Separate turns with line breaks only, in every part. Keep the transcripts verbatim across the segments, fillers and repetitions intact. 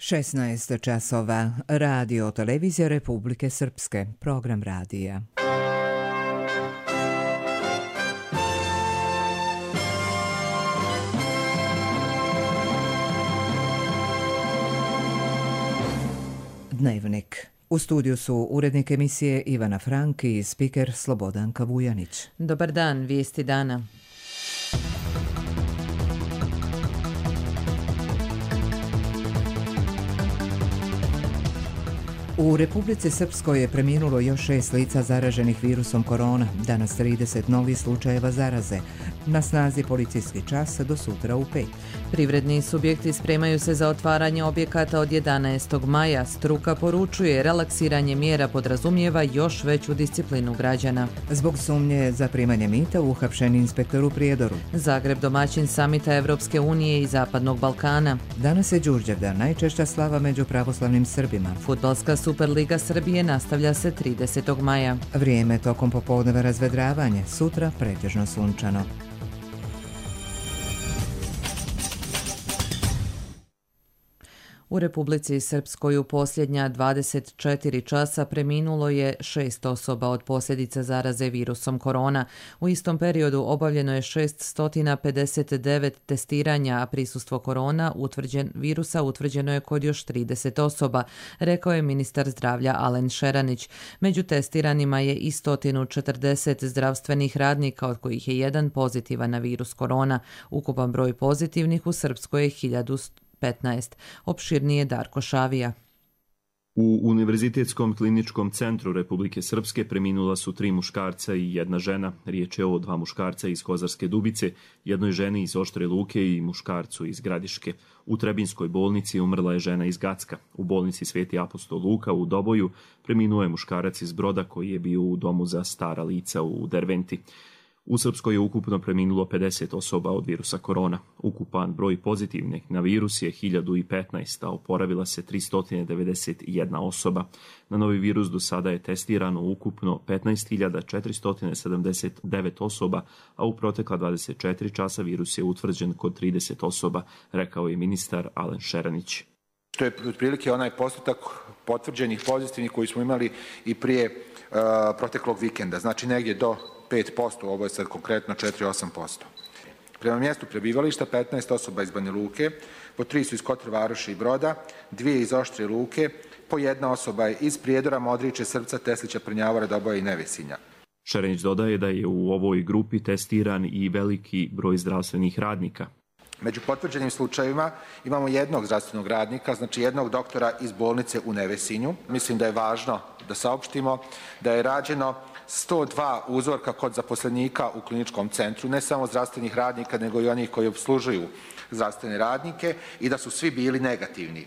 šesnaest časova. Radio televizija Republike Srpske. Program radija. Dnevnik. U studiju su urednik emisije Ivana Frank i spiker Slobodanka Vujanić.
Dobar dan, vijesti dana.
U Republici Srpskoj je preminulo još šest lica zaraženih virusom korona, danas trideset novih slučajeva zaraze. Na snazi policijski čas do sutra u pet.
Privredni subjekti spremaju se za otvaranje objekata od jedanaestog maja. Struka poručuje, relaksiranje mjera podrazumijeva još veću disciplinu građana.
Zbog sumnje za primanje mita uhapšen inspektor u Prijedoru.
Zagreb domaćin samita Evropske unije i Zapadnog Balkana.
Danas je Đurđevdan, najčešća slava među pravoslavnim Srbima.
Fudbalska Superliga Srbije nastavlja se tridesetog maja.
Vrijeme tokom popodneva razvedravanje, sutra pretežno sunčano.
U Republici Srpskoj u posljednja dvadeset četiri časa preminulo je šest osoba od posljedica zaraze virusom korona. U istom periodu obavljeno je šessto pedeset devet testiranja, a prisustvo korona utvrđen, virusa utvrđeno je kod još trideset osoba, rekao je ministar zdravlja Alen Šeranić. Među testiranima je i sto četrdeset zdravstvenih radnika, od kojih je jedan pozitivan na virus korona. Ukupan broj pozitivnih u Srpskoj je hiljadu petnaest. Opširnije Darko Šavija.
U Univerzitetskom kliničkom centru Republike Srpske preminula su tri muškarca i jedna žena. Riječ je o dva muškarca iz Kozarske Dubice, jednoj ženi iz Oštre Luke i muškarcu iz Gradiške. U Trebinskoj bolnici umrla je žena iz Gacka. U bolnici Sveti apostol Luka u Doboju preminuo je muškarac iz Broda koji je bio u domu za stara lica u Derventi. U Srpskoj je ukupno preminulo pedeset osoba od virusa korona. Ukupan broj pozitivnih na virus je hiljadu petnaest, a oporavila se tristo devedeset jedna osoba. Na novi virus do sada je testirano ukupno petnaest hiljada četiristo sedamdeset devet osoba, a u protekla dvadeset četiri časa virus je utvrđen kod trideset osoba, rekao je ministar Alen Šeranić.
To je otprilike onaj postotak potvrđenih pozitivnih koji smo imali i prije uh, proteklog vikenda, znači negdje do pet posto, ovo je sad konkretno četiri zarez osam posto. Prema mjestu prebivališta petnaest osoba iz Banja Luke, po tri su iz Kotor Varoši i Broda, dvije iz Oštre Luke, po jedna osoba je iz Prijedora, Modriče, Srpca, Teslića, Prnjavora, Doboja i Nevesinja.
Šerenić dodaje da je u ovoj grupi testiran i veliki broj zdravstvenih radnika.
Među potvrđenim slučajevima imamo jednog zdravstvenog radnika, znači jednog doktora iz bolnice u Nevesinju. Mislim da je važno da saopštimo da je rađeno sto dva uzorka kod zaposlenika u kliničkom centru, ne samo zdravstvenih radnika, nego i onih koji obslužuju zdravstvene radnike i da su svi bili negativni.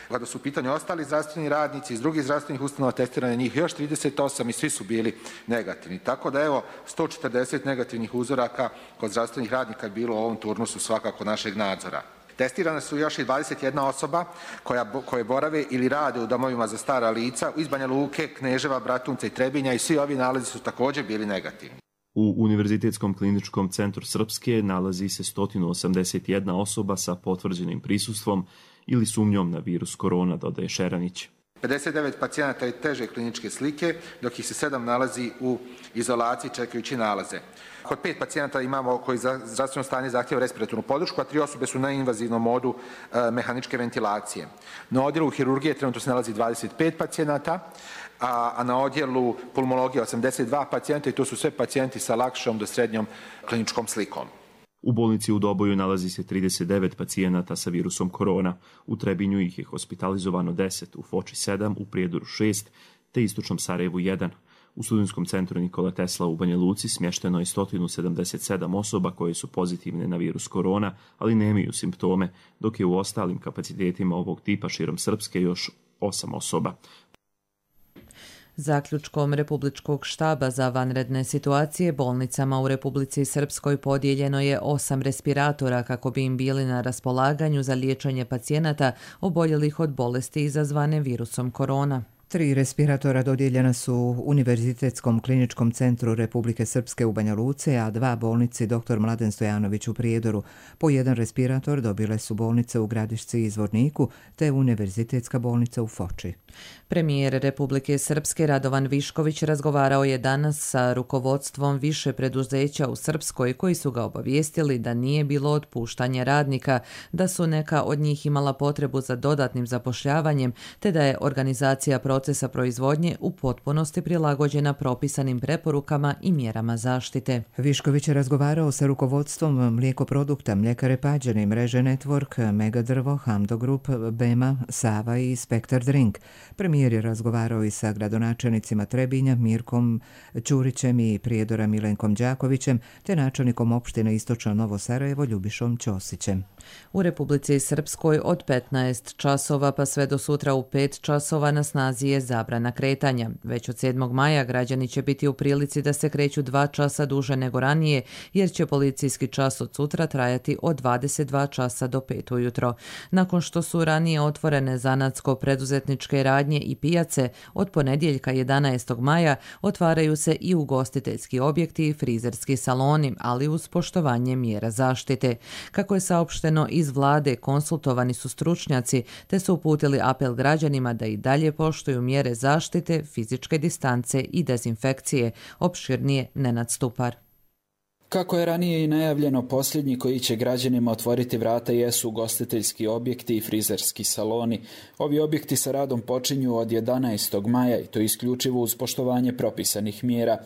Kada su u pitanju ostali zdravstveni radnici iz drugih zdravstvenih ustanova, testirane njih još trideset osam i svi su bili negativni. Tako da evo sto četrdeset negativnih uzoraka kod zdravstvenih radnika je bilo u ovom turnusu svakako našeg nadzora. Testirane su još i dvadeset jedna osoba koja, koje borave ili rade u domovima za stara lica iz Banja Luke, Kneževa, Bratunca i Trebinja i svi ovi nalazi su također bili negativni.
U Univerzitetskom kliničkom centru Srpske nalazi se sto osamdeset jedna osoba sa potvrđenim prisustvom ili sumnjom na virus korona, dodaje Šeranić.
pedeset devet pacijenata je teže kliničke slike, dok ih se sedam nalazi u izolaciji čekajući nalaze. Kod pet pacijenata imamo koji za zdravstveno stanje zahtjeva respiratornu podršku, a tri osobe su na invazivnom modu e, mehaničke ventilacije. Na odjelu hirurgije trenutno se nalazi dvadeset pet pacijenata, a, a na odjelu pulmologije osamdeset dva pacijenta i to su sve pacijenti sa lakšom do srednjom kliničkom slikom.
U bolnici u Doboju nalazi se trideset devet pacijenata sa virusom korona. U Trebinju ih je hospitalizovano deset, u Foči sedam, u Prijedoru šest, te Istočnom Sarajevu jedan. U Studentskom centru Nikola Tesla u Banja Luci smješteno je sto sedamdeset sedam osoba koje su pozitivne na virus korona, ali nemaju simptome, dok je u ostalim kapacitetima ovog tipa širom Srpske još osam osoba.
Zaključkom Republičkog štaba za vanredne situacije bolnicama u Republici Srpskoj podijeljeno je osam respiratora kako bi im bili na raspolaganju za liječenje pacijenata oboljelih od bolesti izazvane virusom korona.
Tri respiratora dodijeljena su Univerzitetskom kliničkom centru Republike Srpske u Banja Luci, a dva bolnici doktor Mladen Stojanović u Prijedoru. Po jedan respirator dobile su bolnice u Gradišci i Zvorniku, te Univerzitetska bolnica u Foči.
Premijer Republike Srpske Radovan Višković razgovarao je danas sa rukovodstvom više preduzeća u Srpskoj koji su ga obavijestili da nije bilo otpuštanja radnika, da su neka od njih imala potrebu za dodatnim zapošljavanjem, te da je organizacija procesa proizvodnje u potpunosti prilagođena propisanim preporukama i mjerama zaštite.
Višković je razgovarao sa rukovodstvom mlijekoprodukta Mljekare Pađene, mreže Network, Megadrvo, Hamdo Group, Bema, Sava i Spektar Drink. Premijer je razgovarao i sa gradonačelnicima Trebinja, Mirkom Ćurićem i Prijedora Milenkom Đakovićem, te načelnikom opštine Istočno Novo Sarajevo Ljubišom Ćosićem.
U Republici Srpskoj od petnaest časova pa sve do sutra u pet časova na snazi je zabrana kretanja. Već od sedmog maja građani će biti u prilici da se kreću dva časa duže nego ranije, jer će policijski čas od sutra trajati od dvadeset dva časa do pet ujutro. Nakon što su ranije otvorene zanatsko-preduzetničke radnje i pijace, od ponedjeljka jedanaestog maja otvaraju se i ugostiteljski objekti i frizerski saloni, ali uz poštovanje mjera zaštite. Kako je saopšteno iz vlade, konsultovani su stručnjaci, te su uputili apel građanima da i dalje poštuju mjere zaštite, fizičke distance i dezinfekcije. Opširnije Nenad Stupar.
Kako je ranije i najavljeno, posljednji koji će građanima otvoriti vrata jesu ugostiteljski objekti i frizerski saloni. Ovi objekti sa radom počinju od jedanaestog maja i to isključivo uz poštovanje propisanih mjera.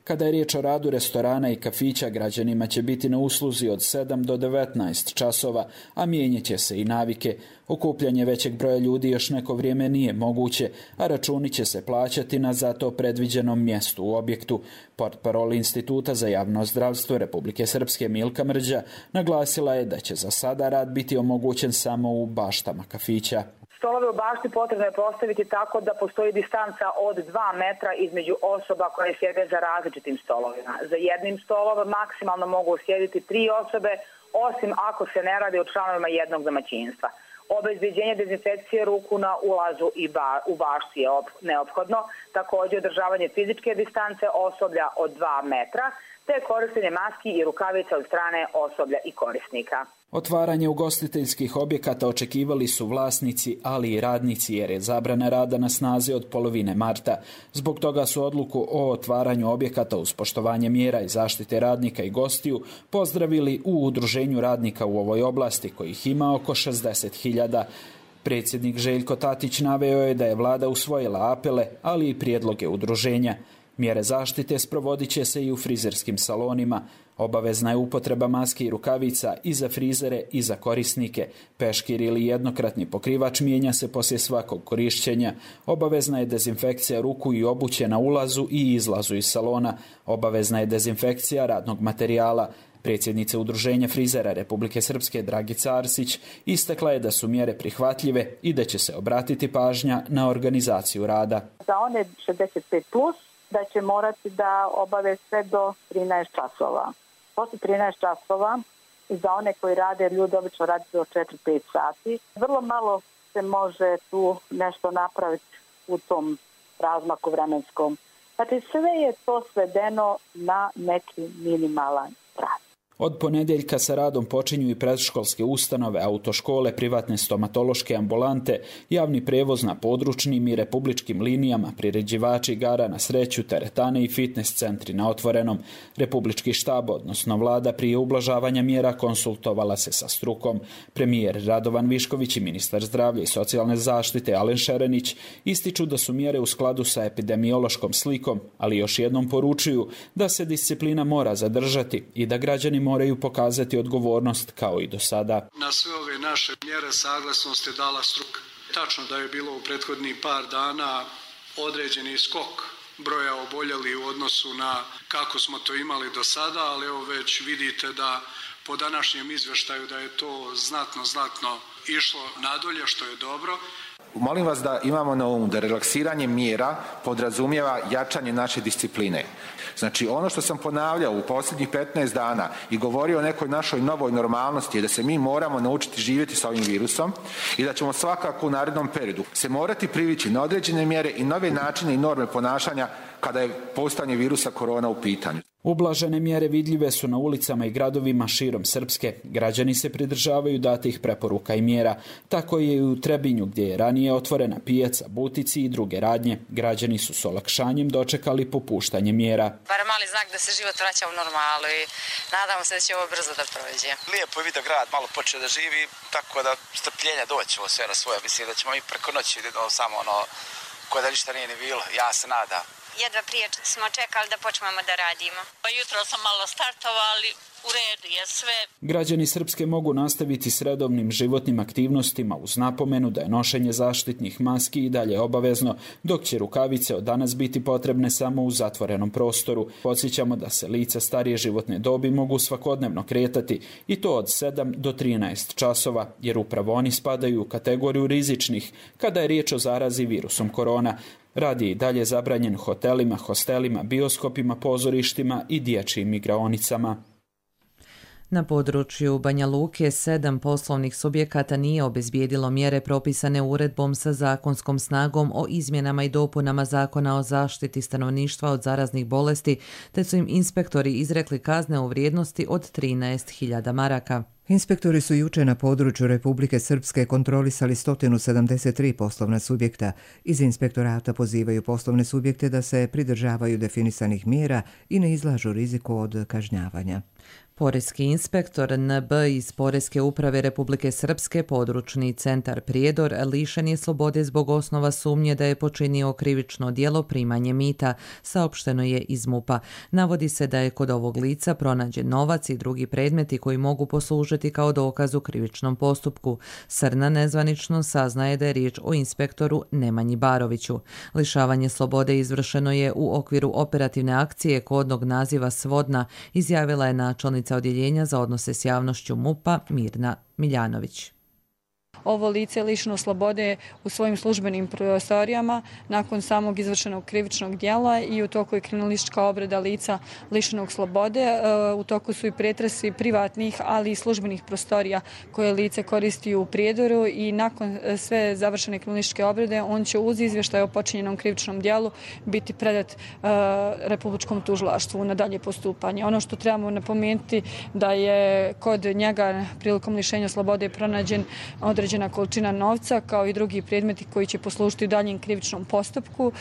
Kada je riječ o radu restorana i kafića, građanima će biti na usluzi od sedam do devetnaest časova, a mijenjat će se i navike. Okupljanje većeg broja ljudi još neko vrijeme nije moguće, a računi će se plaćati na zato predviđenom mjestu u objektu. Portparol Instituta za javno zdravstvo Republike Srpske Milka Mrđa naglasila je da će za sada rad biti omogućen samo u baštama kafića.
Stolove u bašti potrebno je postaviti tako da postoji distanca od dva metra između osoba koje sjede za različitim stolovima. Za jednim stolom maksimalno mogu sjediti tri osobe, osim ako se ne radi o članovima jednog domaćinstva. Obezbeđenje dezinfekcije ruku na ulazu i ba, u bašti je op, neophodno, također održavanje fizičke distance osoblja od dva metra, te korištenje maski i rukavica od strane osoblja i korisnika.
Otvaranje ugostiteljskih objekata očekivali su vlasnici, ali i radnici, jer je zabrana rada na snazi od polovine marta. Zbog toga su odluku o otvaranju objekata uz poštovanje mjera i zaštite radnika i gostiju pozdravili u Udruženju radnika u ovoj oblasti, kojih ima oko šezdeset hiljada. Predsjednik Željko Tatić naveo je da je vlada usvojila apele, ali i prijedloge udruženja. Mjere zaštite sprovodit će se i u frizerskim salonima. Obavezna je upotreba maske i rukavica i za frizere i za korisnike. Peškir ili jednokratni pokrivač mijenja se poslije svakog korišćenja. Obavezna je dezinfekcija ruku i obuće na ulazu i izlazu iz salona. Obavezna je dezinfekcija radnog materijala. Predsjednica Udruženja frizera Republike Srpske Dragica Arsić istakla je da su mjere prihvatljive i da će se obratiti pažnja na organizaciju rada.
Za one šezdeset pet plus da će morati da obave sve do trinaest časova. Posle trinaest časova i za one koji rade, ljudi obično radi do četiri do pet sati. Vrlo malo se može tu nešto napraviti u tom razmaku vremenskom. Znači sve je to svedeno na neki minimalan rad.
Od ponedjeljka sa radom počinju i predškolske ustanove, autoškole, privatne stomatološke ambulante, javni prevoz na područnim i republičkim linijama, priređivači igara na sreću, teretane i fitness centri na otvorenom. Republički štab, odnosno vlada, prije ublažavanja mjera konsultovala se sa strukom. Premijer Radovan Višković i ministar zdravlja i socijalne zaštite Alen Šerenić ističu da su mjere u skladu sa epidemiološkom slikom, ali još jednom poručuju da se disciplina mora zadržati i da građani moraju pokazati odgovornost kao i do sada.
Na sve ove naše mjere saglasnost je dala struka. Tačno da je bilo u prethodnih par dana određeni skok broja oboljeli u odnosu na kako smo to imali do sada, ali evo već vidite da po današnjem izveštaju da je to znatno, znatno išlo nadolje, što je dobro.
Molim vas da imamo na umu da relaksiranje mjera podrazumijeva jačanje naše discipline. Znači, ono što sam ponavljao u posljednjih petnaest dana i govorio o nekoj našoj novoj normalnosti je da se mi moramo naučiti živjeti sa ovim virusom i da ćemo svakako u narednom periodu se morati privići na određene mjere i nove načine i norme ponašanja kada je postojanje virusa korona u pitanju.
Ublažene mjere vidljive su na ulicama i gradovima širom Srpske. Građani se pridržavaju datih preporuka i mjera. Tako je i u Trebinju, gdje je ranije otvorena pijaca, butici i druge radnje. Građani su s olakšanjem dočekali popuštanje mjera.
Bar mali znak da se život vraća u normalu i nadamo se da će ovo brzo da prođe.
Lijepo je vidio grad, malo počeo da živi, tako da strpljenja doći ovo sve na svoje. Mislim da ćemo i preko noći samo ono koje da ništa nije ni bilo. Ja se nadam.
Jedva prije smo čekali da počnemo da radimo.
Pa jutro sam malo startovali, u redu je sve.
Građani Srpske mogu nastaviti s redovnim životnim aktivnostima uz napomenu da je nošenje zaštitnih maski i dalje obavezno, dok će rukavice od danas biti potrebne samo u zatvorenom prostoru. Podsjećamo da se lica starije životne dobi mogu svakodnevno kretati i to od sedam do trinaest časova, jer upravo oni spadaju u kategoriju rizičnih kada je riječ o zarazi virusom korona. Rad je i dalje zabranjen hotelima, hostelima, bioskopima, pozorištima i dječjim igraonicama.
Na području Banja Luke sedam poslovnih subjekata nije obezbijedilo mjere propisane uredbom sa zakonskom snagom o izmjenama i dopunama Zakona o zaštiti stanovništva od zaraznih bolesti, te su im inspektori izrekli kazne u vrijednosti od trinaest hiljada maraka.
Inspektori su juče na području Republike Srpske kontrolisali sto sedamdeset tri poslovna subjekta. Iz inspektorata pozivaju poslovne subjekte da se pridržavaju definisanih mjera i ne izlažu riziku od kažnjavanja.
Poreski inspektor N B iz Poreske uprave Republike Srpske, područni centar Prijedor, lišen je slobode zbog osnova sumnje da je počinio krivično djelo primanje mita, saopšteno je iz MUP-a. Navodi se da je kod ovog lica pronađen novac i drugi predmeti koji mogu poslužiti kao dokaz u krivičnom postupku. Srna nezvanično saznaje da je riječ o inspektoru Nemanji Baroviću. Lišavanje slobode izvršeno je u okviru operativne akcije kodnog naziva Svodna, izjavila je načelnica odjeljenja za odnose s javnošću MUP-a Mirna Miljanović.
Ovo lice je lišeno slobode u svojim službenim prostorijama nakon samog izvršenog krivičnog djela i u toku je kriminalistička obrada lica lišenog slobode. U toku su i pretresi privatnih, ali i službenih prostorija koje lice koristi u Prijedoru i nakon sve završene kriminalističke obrade on će uz izvještaj o počinjenom krivičnom djelu biti predat Republičkom tužilaštvu na dalje postupanje. Ono što trebamo napomenuti da je kod njega prilikom lišenja slobode pronađen određen količina novca kao i drugi predmeti koji će poslužiti u daljem krivičnom postupku.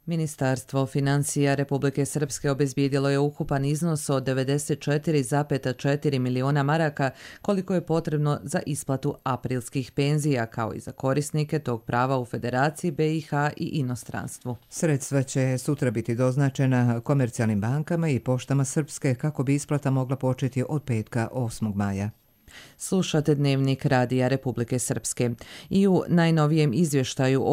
Ministarstvo financija Republike Srpske obezbijedilo je ukupan iznos od devedeset četiri zarez četiri miliona maraka koliko je potrebno za isplatu aprilskih penzija kao i za korisnike tog prava u Federaciji, B i H i inostranstvu.
Sredstva će sutra biti doznačena komercijalnim bankama i poštama Srpske kako bi isplata mogla početi od petka osmog maja.
Slušate Dnevnik Radija Republike Srpske. I u najnovijem izvještaju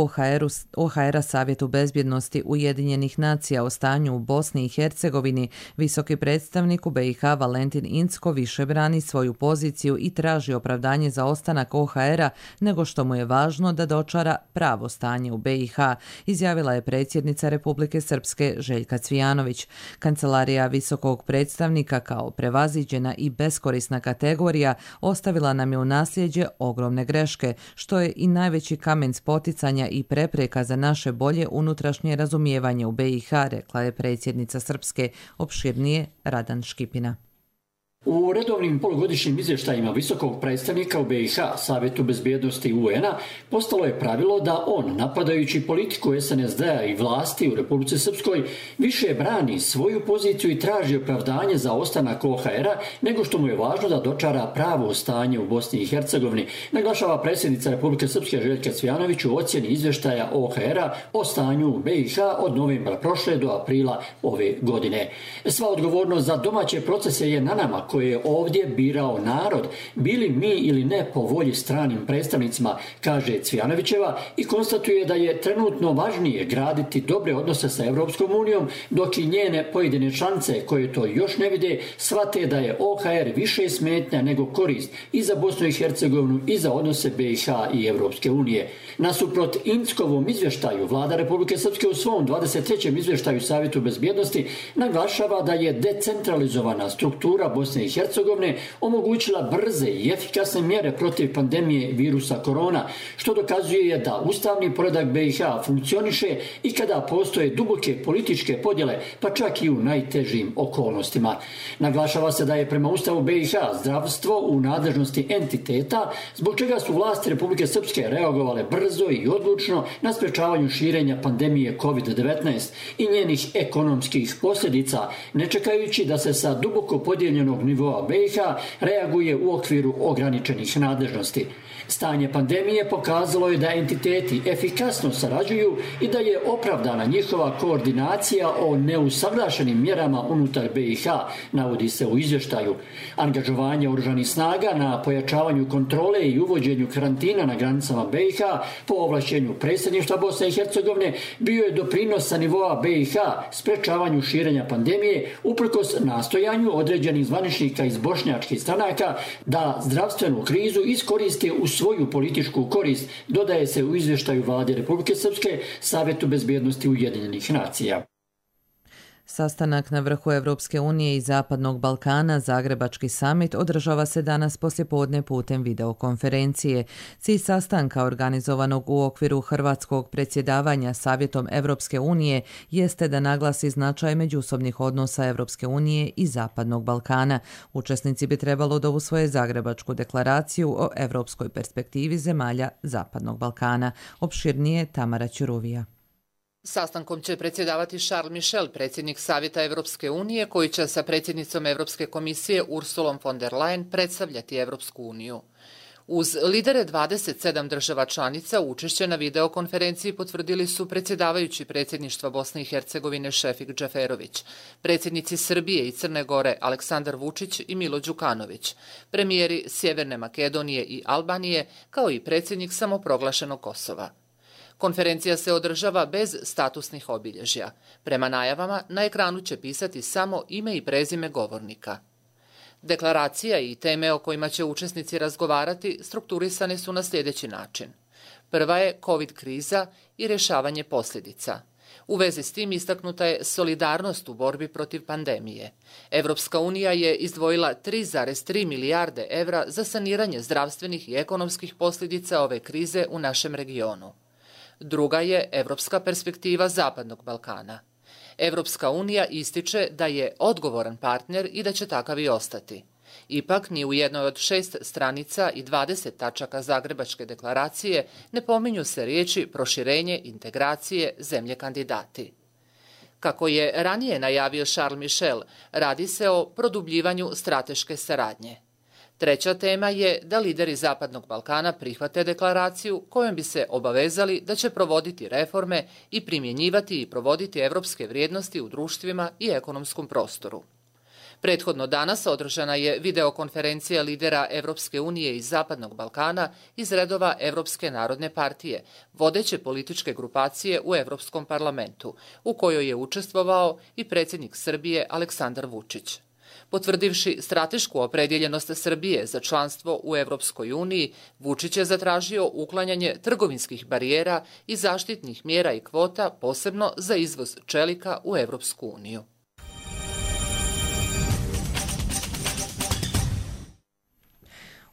O H R-a Savjetu bezbjednosti Ujedinjenih nacija o stanju u Bosni i Hercegovini, visoki predstavnik u B i H Valentin Incko više brani svoju poziciju i traži opravdanje za ostanak O H R-a nego što mu je važno da dočara pravo stanje u B i H, izjavila je predsjednica Republike Srpske Željka Cvijanović. Kancelarija visokog predstavnika kao prevaziđena i beskorisna kategorija ostavila nam je u nasljeđe ogromne greške, što je i najveći kamen spoticanja i prepreka za naše bolje unutrašnje razumijevanje u B i H, rekla je predsjednica Srpske, opširnije Radan Škipina.
U redovnim polugodišnjim izvještajima visokog predstavnika u B i H, Savjetu bezbjednosti U N A, postalo je pravilo da on, napadajući politiku S N S D-a i vlasti u Republici Srpskoj, više brani svoju poziciju i traži opravdanje za ostanak O H R-a nego što mu je važno da dočara pravo stanje u Bosni i Hercegovini, naglašava predsjednica Republike Srpske Željka Cvijanović u ocjeni izvještaja O H R-a o stanju u B i H od novembra prošle do aprila ove godine. Sva odgovornost za domaće procese je na nama koje je ovdje birao narod, bili mi ili ne po volji stranim predstavnicima, kaže Cvijanovićeva i konstatuje da je trenutno važnije graditi dobre odnose sa Evropskom unijom, dok i njene pojedine članice koje to još ne vide shvate da je O H R više smetnja nego korist i za Bosnu i Hercegovinu i za odnose B i H i Evropske unije. Nasuprot Inckovom izvještaju, vlada Republike Srpske u svom dvadeset trećem izvještaju Savjetu bezbjednosti naglašava da je decentralizovana struktura Bosne i Hercegovine omogućila brze i efikasne mjere protiv pandemije virusa korona, što dokazuje da ustavni poredak B i H funkcioniše i kada postoje duboke političke podjele, pa čak i u najtežim okolnostima. Naglašava se da je prema Ustavu B i H zdravstvo u nadležnosti entiteta, zbog čega su vlasti Republike Srpske reagovale brzo i odlučno na sprečavanju širenja pandemije kovid devetnaest i njenih ekonomskih posljedica, ne čekajući da se sa duboko podijeljenog nivoa B i H reaguje u okviru ograničenih nadležnosti. Stanje pandemije pokazalo je da entiteti efikasno sarađuju i da je opravdana njihova koordinacija o neusaglašenim mjerama unutar B i H, navodi se u izvještaju. Angažovanje oružanih snaga na pojačavanju kontrole i uvođenju karantina na granicama B i H po ovlašćenju predsjedništva Bosne i Hercegovine bio je doprinos sa nivoa B i H sprečavanju širenja pandemije uprkos nastojanju određenih zvaničnika iz bošnjačkih stranaka da zdravstvenu krizu iskoriste u svoju političku korist, dodaje se u izvještaju vlade Republike Srpske Savjetu bezbjednosti Ujedinjenih nacija.
Sastanak na vrhu Evropske unije i Zapadnog Balkana, Zagrebački samit, održava se danas poslijepodne putem videokonferencije. Cilj sastanka organizovanog u okviru hrvatskog predsjedavanja Savjetom Evropske unije jeste da naglasi značaj međusobnih odnosa Evropske unije i Zapadnog Balkana. Učesnici bi trebalo da usvoje Zagrebačku deklaraciju o evropskoj perspektivi zemalja Zapadnog Balkana. Opširnije Tamara Ćuruvija.
Sastankom će predsjedavati Charles Michel, predsjednik Savjeta Evropske unije, koji će sa predsjednicom Evropske komisije Ursulom von der Leyen predstavljati Evropsku uniju. Uz lidere dvadeset sedam država članica učešće na videokonferenciji potvrdili su predsjedavajući predsjedništva Bosne i Hercegovine Šefik Džeferović, predsjednici Srbije i Crne Gore Aleksandar Vučić i Milo Đukanović, premijeri Sjeverne Makedonije i Albanije, kao i predsjednik samoproglašenog Kosova. Konferencija se održava bez statusnih obilježja. Prema najavama, na ekranu će pisati samo ime i prezime govornika. Deklaracija i teme o kojima će učesnici razgovarati strukturisane su na sljedeći način. Prva je COVID kriza i rješavanje posljedica. U vezi s tim istaknuta je solidarnost u borbi protiv pandemije. Evropska unija je izdvojila tri zarez tri milijarde evra za saniranje zdravstvenih i ekonomskih posljedica ove krize u našem regionu. Druga je evropska perspektiva Zapadnog Balkana. Evropska unija ističe da je odgovoran partner i da će takav i ostati. Ipak, ni u jednoj od šest stranica i dvadeset tačaka Zagrebačke deklaracije ne pominju se riječi proširenje, integracije, zemlje kandidati. Kako je ranije najavio Charles Michel, radi se o produbljivanju strateške saradnje. Treća tema je da lideri Zapadnog Balkana prihvate deklaraciju kojom bi se obavezali da će provoditi reforme i primjenjivati i provoditi evropske vrijednosti u društvima i ekonomskom prostoru. Prethodno danas održana je videokonferencija lidera Evropske unije i Zapadnog Balkana iz redova Evropske narodne partije, vodeće političke grupacije u Evropskom parlamentu, u kojoj je učestvovao i predsjednik Srbije Aleksandar Vučić. Potvrdivši stratešku opredjeljenost Srbije za članstvo u Evropskoj uniji, Vučić je zatražio uklanjanje trgovinskih barijera i zaštitnih mjera i kvota, posebno za izvoz čelika u Evropsku uniju.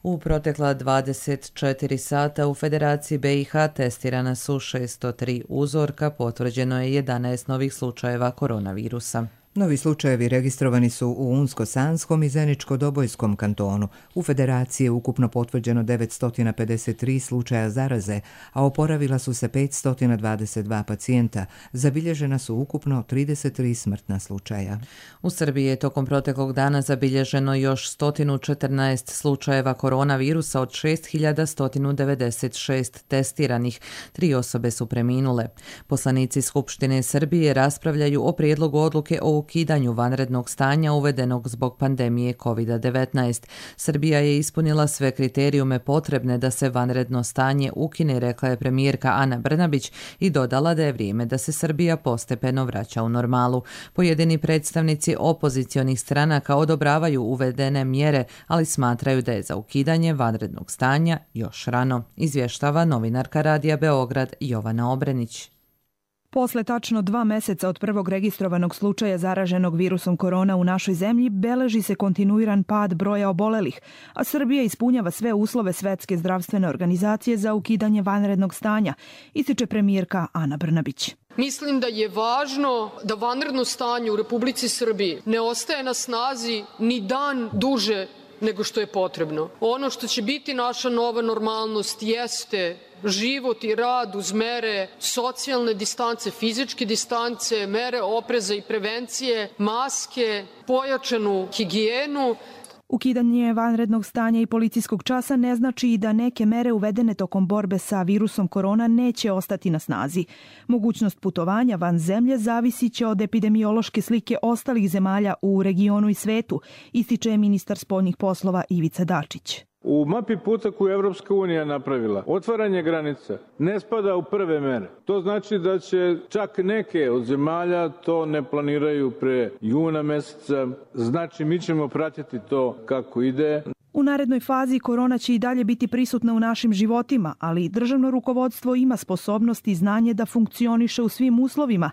U protekla dvadeset četiri sata u Federaciji B i H testirana su šesto tri uzorka, potvrđeno je jedanaest novih slučajeva koronavirusa.
Novi slučajevi registrovani su u Unsko-Sanskom i Zeničko-Dobojskom kantonu. U Federaciji je ukupno potvrđeno devetsto pedeset tri slučaja zaraze, a oporavila su se petsto dvadeset dva pacijenta. Zabilježena su ukupno trideset tri smrtna slučaja.
U Srbiji je tokom proteklog dana zabilježeno još sto četrnaest slučajeva koronavirusa od šest hiljada sto devedeset šest testiranih. Tri osobe su preminule. Poslanici Skupštine Srbije raspravljaju o prijedlogu odluke o ukidanju vanrednog stanja uvedenog zbog pandemije kovid devetnaest. Srbija je ispunila sve kriterijume potrebne da se vanredno stanje ukine, rekla je premijerka Ana Brnabić i dodala da je vrijeme da se Srbija postepeno vraća u normalu. Pojedini predstavnici opozicionih stranaka odobravaju uvedene mjere, ali smatraju da je za ukidanje vanrednog stanja još rano, izvještava novinarka Radija Beograd Jovana Obrenić.
Posle tačno dva meseca od prvog registrovanog slučaja zaraženog virusom korona u našoj zemlji beleži se kontinuiran pad broja obolelih, a Srbija ispunjava sve uslove Svetske zdravstvene organizacije za ukidanje vanrednog stanja, ističe premijerka Ana Brnabić.
Mislim da je važno da vanredno stanje u Republici Srbiji ne ostaje na snazi ni dan duže nego što je potrebno. Ono što će biti naša nova normalnost jeste život i rad uz mere socijalne distance, fizičke distance, mere opreza i prevencije, maske, pojačanu higijenu.
Ukidanje vanrednog stanja i policijskog časa ne znači i da neke mere uvedene tokom borbe sa virusom korona neće ostati na snazi. Mogućnost putovanja van zemlje zavisit će od epidemiološke slike ostalih zemalja u regionu i svetu, ističe ministar spoljnih poslova Ivica Dačić.
U mapi puta koju Evropska unija napravila, otvaranje granica ne spada u prve mere. To znači da će čak neke od zemalja to ne planiraju pre juna meseca. Znači mi ćemo pratiti to kako ide.
U narednoj fazi korona će i dalje biti prisutna u našim životima, ali državno rukovodstvo ima sposobnost i znanje da funkcioniše u svim uslovima.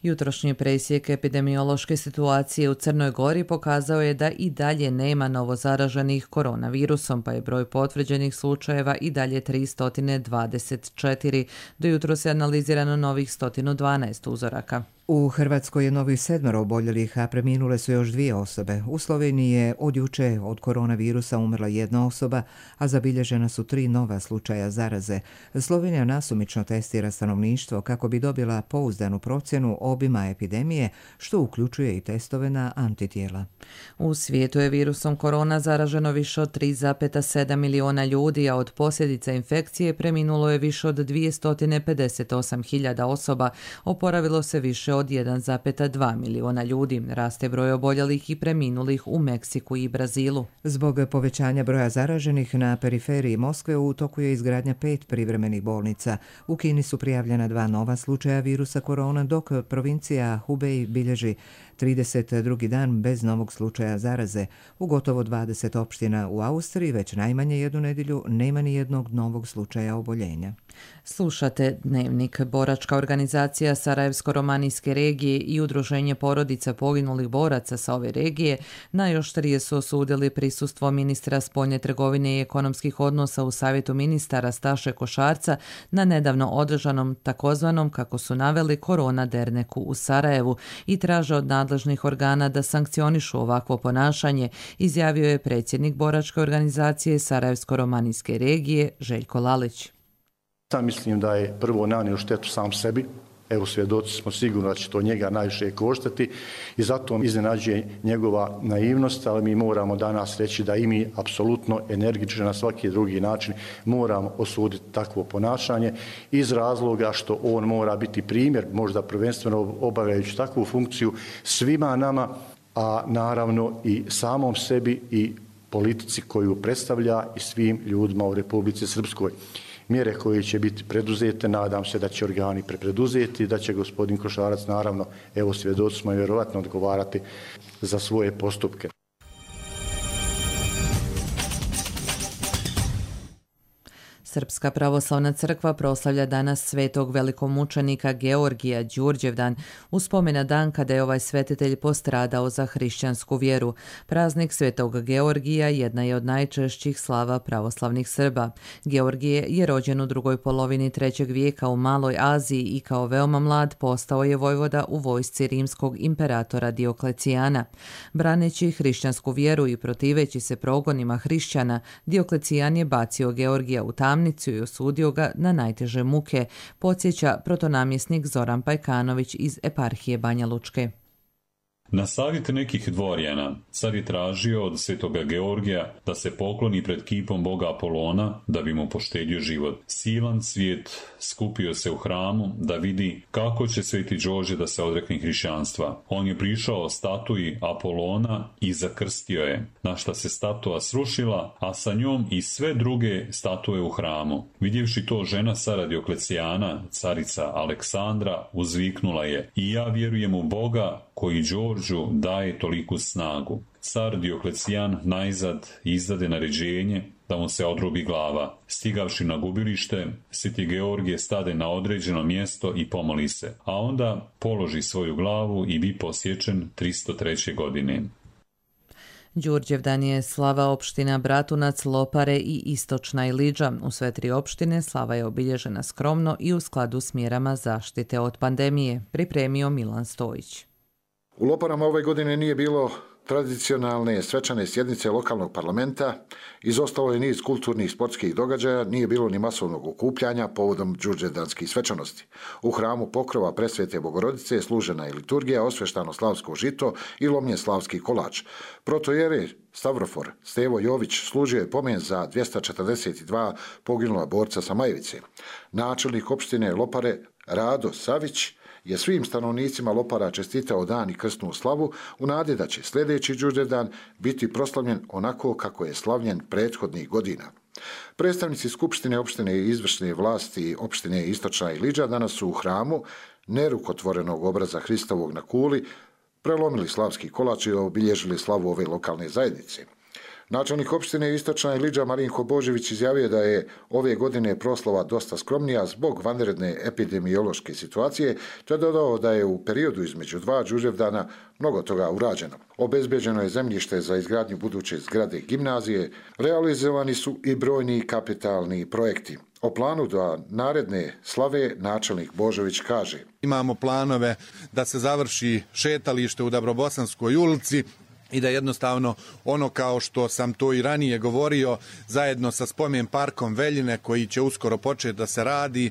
Jutrošnji presjek epidemiološke situacije u Crnoj Gori pokazao je da i dalje nema novozaraženih koronavirusom, pa je broj potvrđenih slučajeva i dalje tristo dvadeset četiri. Do jutro se analizirano novih sto dvanaest uzoraka.
U Hrvatskoj je novih sedmero oboljelih, a preminule su još dvije osobe. U Sloveniji je od juče od koronavirusa umrla jedna osoba, a zabilježena su tri nova slučaja zaraze. Slovenija nasumično testira stanovništvo kako bi dobila pouzdanu procjenu obima epidemije, što uključuje i testove na antitijela.
U svijetu je virusom korona zaraženo više od tri zarez sedam miliona ljudi, a od posljedica infekcije preminulo je više od dvjesto pedeset osam hiljada osoba, oporavilo se više od jedan zarez dva miliona ljudi. Raste broj oboljelih i preminulih u Meksiku i Brazilu.
Zbog povećanja broja zaraženih na periferiji Moskve u toku je izgradnja pet privremenih bolnica. U Kini su prijavljena dva nova slučaja virusa korona, dok provincija Hubei bilježi trideset drugi dan bez novog slučaja zaraze. U gotovo dvadeset opština u Austriji već najmanje jednu nedjelju nema ni jednog novog slučaja oboljenja.
Slušate Dnevnik. Boračka organizacija Sarajevsko-romanijske regije i Udruženje porodica poginulih boraca sa ove regije najoštrije su osudili prisustvo ministra spoljne trgovine i ekonomskih odnosa u Savjetu ministara Staše Košarca na nedavno održanom takozvanom, kako su naveli, korona derneku u Sarajevu i traže od nadležnih organa da sankcionišu ovakvo ponašanje, izjavio je predsjednik Boračke organizacije Sarajevsko-romanijske regije Željko Lalić.
Sam mislim da je prvo nanio štetu sam sebi. Evo, svjedoci smo sigurno da će to njega najviše koštati i zato iznenađuje njegova naivnost, ali mi moramo danas reći da i mi apsolutno energično na svaki drugi način moramo osuditi takvo ponašanje iz razloga što on mora biti primjer, možda prvenstveno obavljajući takvu funkciju svima nama, a naravno i samom sebi i politici koju predstavlja i svim ljudima u Republici Srpskoj. Mjere koje će biti preduzete, nadam se da će organi prepreduzeti, da će gospodin Košarac, naravno, evo svjedoci smo, vjerovatno odgovarati za svoje postupke.
Srpska pravoslavna crkva proslavlja danas svetog velikomučenika Georgija Đurđevdan, uspomena dan kada je ovaj svetitelj postradao za hrišćansku vjeru. Praznik svetog Georgija jedna je od najčešćih slava pravoslavnih Srba. Georgije je rođen u drugoj polovini trećeg vijeka u Maloj Aziji i kao veoma mlad postao je vojvoda u vojsci rimskog imperatora Dioklecijana. Braneći hrišćansku vjeru i protiveći se progonima hrišćana, Dioklecijan je bacio Georgija u tamnicu i osudio ga na najteže muke, podsjeća protonamjesnik Zoran Pajkanović iz eparhije Banja Lučke.
Na savjet nekih dvorjana car je tražio od svetoga Georgija da se pokloni pred kipom boga Apolona da bi mu poštedio život. Silan svijet skupio se u hramu da vidi kako će sveti Đorđe da se odrekne hrišćanstva. On je prišao statuji Apolona i zakrstio je, na šta se statua srušila, a sa njom i sve druge statue u hramu. Vidjevši to, žena cara Dioklecijana, carica Aleksandra, uzviknula je: i ja vjerujem u Boga koji Đorđu daje toliku snagu. Car Dioklecijan najzad izdade naređenje da mu se odrubi glava. Stigavši na gubilište, sveti Georgije stade na određeno mjesto i pomoli se, a onda položi svoju glavu i bi posječen tristo treće godine.
Đurđevdan je slava opština Bratunac, Lopare i Istočna Iliđa. U sve tri opštine slava je obilježena skromno i u skladu s mjerama zaštite od pandemije, pripremio Milan Stojić.
U Loparama ove godine nije bilo tradicionalne svečane sjednice lokalnog parlamenta, izostalo je niz kulturnih sportskih događaja, nije bilo ni masovnog okupljanja povodom đurđevdanskih svečanosti. U hramu pokrova Presvete Bogorodice služena je liturgija, osveštano slavsko žito i lomljen slavski kolač. Protojere Stavrofor Stevo Jović služio je pomen za dvjesto četrdeset dva poginula borca sa Majevice. Načelnik opštine Lopare Rado Savić je svim stanovnicima Lopara čestitao dan i krsnu slavu u nadi da će sljedeći Đurđevdan biti proslavljen onako kako je slavljen prethodnih godina. Predstavnici Skupštine opštine i izvršne vlasti opštine Istočna Iliđa danas su u hramu nerukotvorenog obraza Hristovog na kuli prelomili slavski kolač i obilježili slavu ove lokalne zajednice. Načelnik opštine Istočna Iliđa Marinko Božević izjavio da je ove godine proslava dosta skromnija zbog vanredne epidemiološke situacije, te dodao da je u periodu između dva Đurđevdana mnogo toga urađeno. Obezbeđeno je zemljište za izgradnju buduće zgrade gimnazije, realizovani su i brojni kapitalni projekti. O planu do naredne slave načelnik Božović kaže:
imamo planove da se završi šetalište u Dabrobosanskoj ulici i da jednostavno ono, kao što sam to i ranije govorio, zajedno sa spomen parkom Veljine koji će uskoro početi da se radi,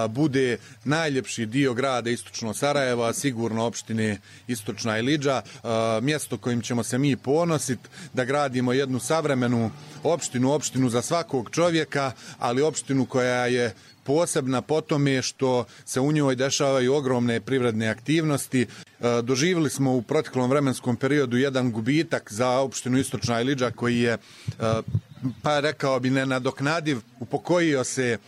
bude najljepši dio grada Istočno Sarajevo, a sigurno opštine Istočna Iliđa, mjesto kojim ćemo se mi ponositi, da gradimo jednu savremenu opštinu, opštinu za svakog čovjeka, ali opštinu koja je posebna po tome što se u njoj dešavaju ogromne privredne aktivnosti. Doživjeli smo u proteklom vremenskom periodu jedan gubitak za opštinu Istočna Iliđa koji je, pa rekao bi, nenadoknadiv. Upokojio se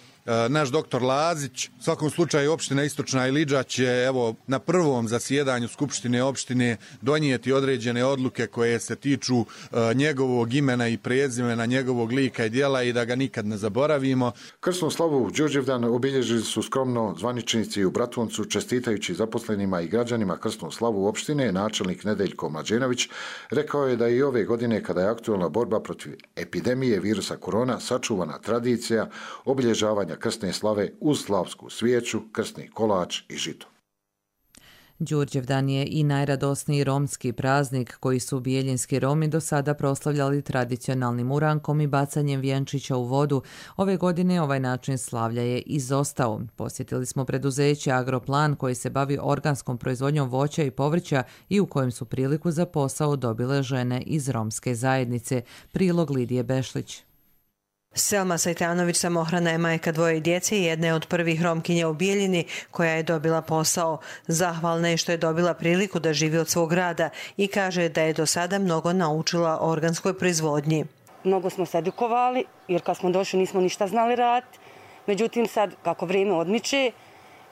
naš doktor Lazić. U svakom slučaju opština Istočna Iliđa će evo na prvom zasjedanju Skupštine opštine donijeti određene odluke koje se tiču uh, njegovog imena i prezimena, njegovog lika i djela i da ga nikad ne zaboravimo.
Krsnu slavu Đurđevdan obilježili su skromno zvaničnici u Bratuncu, čestitajući zaposlenima i građanima krsnu slavu opštine. Načelnik Nedeljko Mlađenović rekao je da i ove godine, kada je aktualna borba protiv epidemije virusa korona, sačuvana tradicija obilježavanja krsne slave uz slavsku svijeću, krsni kolač i žito.
Đurđevdan je i najradosniji romski praznik koji su bijeljinski Romi do sada proslavljali tradicionalnim urankom i bacanjem vjenčića u vodu. Ove godine ovaj način slavlja je izostao. Posjetili smo preduzeće Agroplan koji se bavi organskom proizvodnjom voća i povrća i u kojem su priliku za posao dobile žene iz romske zajednice. Prilog Lidije Bešlić.
Selma Sajtanović samohrana je majka dvoje djece i jedna je od prvih Romkinja u Bijeljini koja je dobila posao. Zahvalna je što je dobila priliku da živi od svog rada i kaže da je do sada mnogo naučila o organskoj proizvodnji.
Mnogo smo se edukovali jer kad smo došli nismo ništa znali raditi. Međutim sad kako vrijeme odmiče,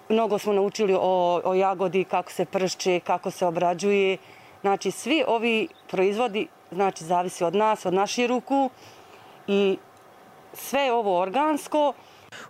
mnogo smo naučili o, o jagodi, kako se pršće, kako se obrađuje. Znači svi ovi proizvodi znači zavisi od nas, od naših ruku i sve je ovo organsko.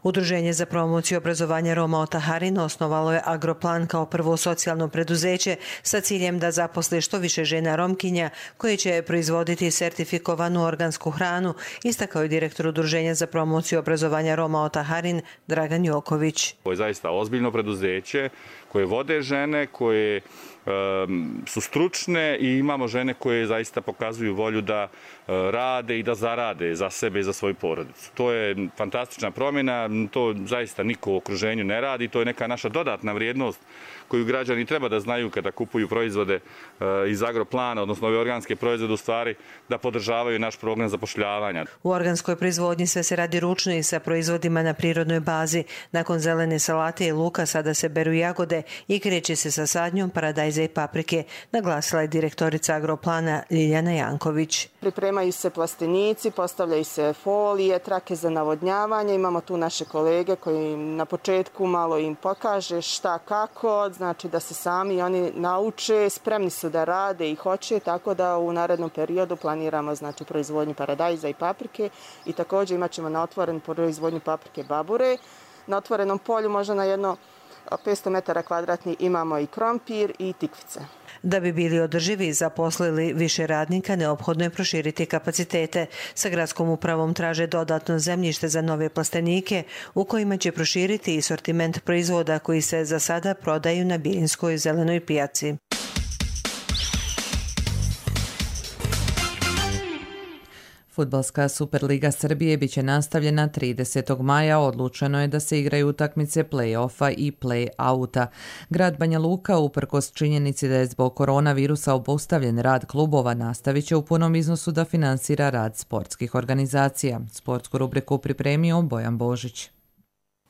Udruženje za promociju obrazovanja Roma Otaharin osnovalo je Agroplan kao prvo socijalno preduzeće sa ciljem da zaposle što više žena Romkinja koje će proizvoditi sertifikovanu organsku hranu, istakao je direktor Udruženja za promociju obrazovanja Roma Otaharin Dragan Joković.
Ovo je zaista ozbiljno preduzeće koje vode žene, koje su stručne i imamo žene koje zaista pokazuju volju da rade i da zarade za sebe i za svoju porodicu. To je fantastična promjena godina. To zaista niko u okruženju ne radi. To je neka naša dodatna vrijednost koju građani treba da znaju kada kupuju proizvode iz Agroplana, odnosno ove organske proizvode, u stvari da podržavaju naš program zapošljavanja.
U organskoj proizvodnji sve se radi ručno i sa proizvodima na prirodnoj bazi. Nakon zelene salate i luka sada se beru jagode i kreće se sa sadnjom paradajza i paprike, naglasila je direktorica Agroplana Ljiljana Janković.
Pripremaju se plastenici, postavljaju se folije, trake za navodnjavanje. Imamo tu naše kolege koji na početku malo im pokaže šta kako, znači da se sami oni nauče, spremni su da rade i hoće, tako da u narednom periodu planiramo znači proizvodnju paradajza i paprike i također imat ćemo na otvoren proizvodnju paprike babure. Na otvorenom polju možda na jedno petsto metara kvadratnih imamo i krompir i tikvice.
Da bi bili održivi i zaposlili više radnika, neophodno je proširiti kapacitete. Sa gradskom upravom traže dodatno zemljište za nove plastenike u kojima će proširiti i sortiment proizvoda koji se za sada prodaju na Bijeljinskoj zelenoj pijaci.
Fudbalska Superliga Srbije biće nastavljena tridesetog maja. Odlučeno je da se igraju utakmice play-offa i play-outa. Grad Banja Luka, uprkos činjenici da je zbog koronavirusa obustavljen rad klubova, nastavit će u punom iznosu da finansira rad sportskih organizacija. Sportsku rubriku pripremio Bojan Božić.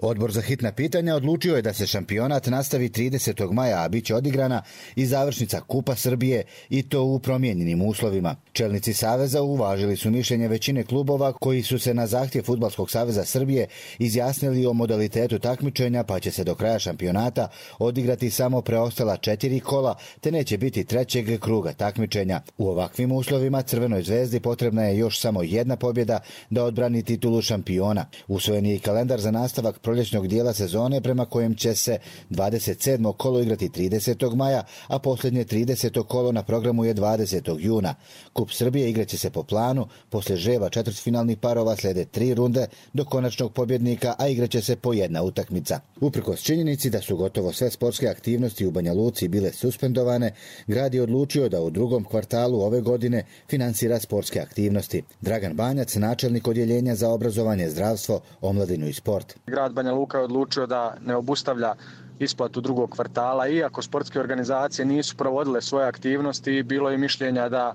Odbor za hitna pitanja odlučio je da se šampionat nastavi tridesetog maja, a bit će odigrana i završnica Kupa Srbije i to u promijenjenim uslovima. Čelnici Saveza uvažili su mišljenje većine klubova koji su se na zahtjev Fudbalskog saveza Srbije izjasnili o modalitetu takmičenja, pa će se do kraja šampionata odigrati samo preostala četiri kola, te neće biti trećeg kruga takmičenja. U ovakvim uslovima Crvenoj zvezdi potrebna je još samo jedna pobjeda da odbrani titulu šampiona. Usvojen je i kalendar za nastavak proljećnog dijela sezone prema kojem će se dvadeset sedmo kolo igrati tridesetog maja, a posljednje trideseto kolo na programu je dvadesetog juna. Kup Srbije igraće se po planu, poslije žreba četvrtfinalnih parova slijede tri runde do konačnog pobjednika, a igraće se po jedna utakmica. Uprkos činjenici da su gotovo sve sportske aktivnosti u Banja Luci bile suspendovane, grad je odlučio da u drugom kvartalu ove godine finansira sportske aktivnosti. Dragan Banjac, načelnik odjeljenja za obrazovanje, zdravstvo, omladinu i sport.
Grad Banja Luka je odlučio da ne obustavlja isplatu drugog kvartala, iako sportske organizacije nisu provodile svoje aktivnosti, bilo je mišljenja da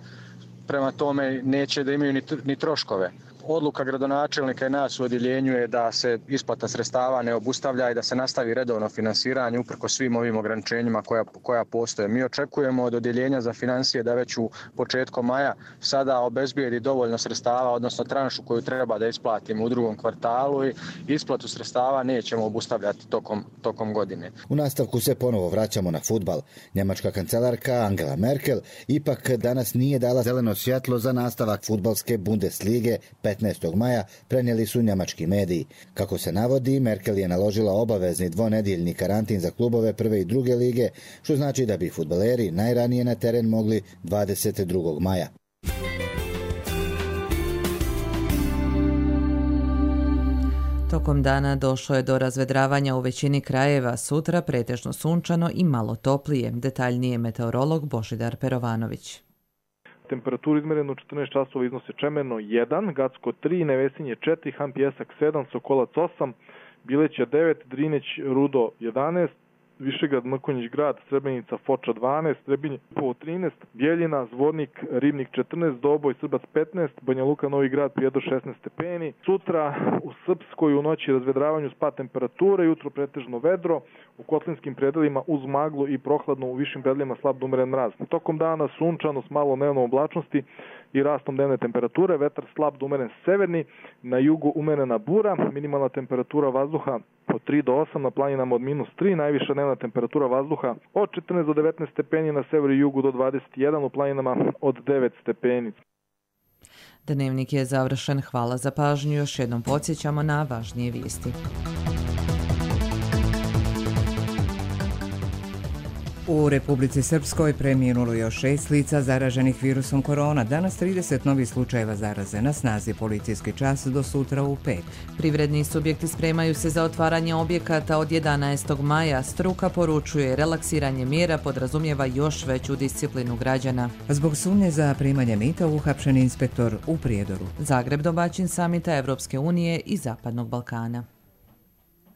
prema tome neće da imaju ni, ni troškove. Odluka gradonačelnika i nas u odjeljenju je da se isplata sredstava ne obustavlja i da se nastavi redovno finansiranje uprko svim ovim ograničenjima koja, koja postoje. Mi očekujemo od odjeljenja za financije da već u početku maja sada obezbijedi dovoljno sredstava, odnosno tranšu koju treba da isplatimo u drugom kvartalu i isplatu sredstava nećemo obustavljati tokom, tokom godine.
U nastavku se ponovo vraćamo na fudbal. Njemačka kancelarka Angela Merkel ipak danas nije dala zeleno svjetlo za nastavak fudbalske Bundeslige petnaestog maja, prenijeli su njemački mediji. Kako se navodi, Merkel je naložila obavezni dvonedjeljni karantin za klubove prve i druge lige, što znači da bi fudbaleri najranije na teren mogli dvadeset drugog maja.
Tokom dana došlo je do razvedravanja u većini krajeva, sutra pretežno sunčano i malo toplije. Detaljnije meteorolog Božidar Perovanović.
Temperaturu izmerenu u četrnaest časova iznose Čemerno jedan, Gacko tri, Nevesinje četiri, Han Pjesak sedam, Sokolac osam, Bileća devet, Drineć, Rudo jedanaest, Višegrad, Mrkonjić grad, Srebrenica, Foča dvanaest, Trebinje po trinaest, Bjeljina, Zvornik, Ribnik četrnaest, Doboj, Srbac petnaest, Banja Luka, Novi grad, Prijedor šesnaest stepeni. Sutra u Srpskoj u noći razvedravanju spad temperature, jutro pretežno vedro, u kotlinskim predelima uz maglu i prohladno, u višim predelima slab do umeren mraz. Tokom dana sunčano s malo dnevnom oblačnosti i rastom dnevne temperature, vetar slab do umeren severni, na jugu umerena bura, minimalna temperatura vazduha od tri do osam, na planinama od minus tri, najviša dnevna temperatura vazduha od četrnaest do devetnaest stepeni, na severu i jugu do dvadeset jedan, u planinama od devet stepeni.
Dnevnik je završen. Hvala za pažnju. Još jednom podsjećamo na važnije vijesti.
U Republici Srpskoj preminulo još šest lica zaraženih virusom korona. Danas trideset novih slučajeva zaraze. Na snazi policijski čas do sutra u pet.
Privredni subjekti spremaju se za otvaranje objekata od jedanaestog maja. Struka poručuje, relaksiranje mjera podrazumijeva još veću disciplinu građana.
Zbog sumnje za primanje mita uhapšen inspektor u Prijedoru.
Zagreb domaćin samita Evropske unije i Zapadnog Balkana.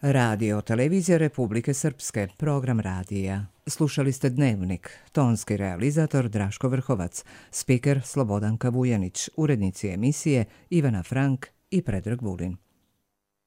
Radio Televizija Republike Srpske, program radija. Slušali ste Dnevnik, tonski realizator Draško Vrhovac, spiker Slobodanka Vujanić, urednici emisije Ivana Frank i Predrag Vulin.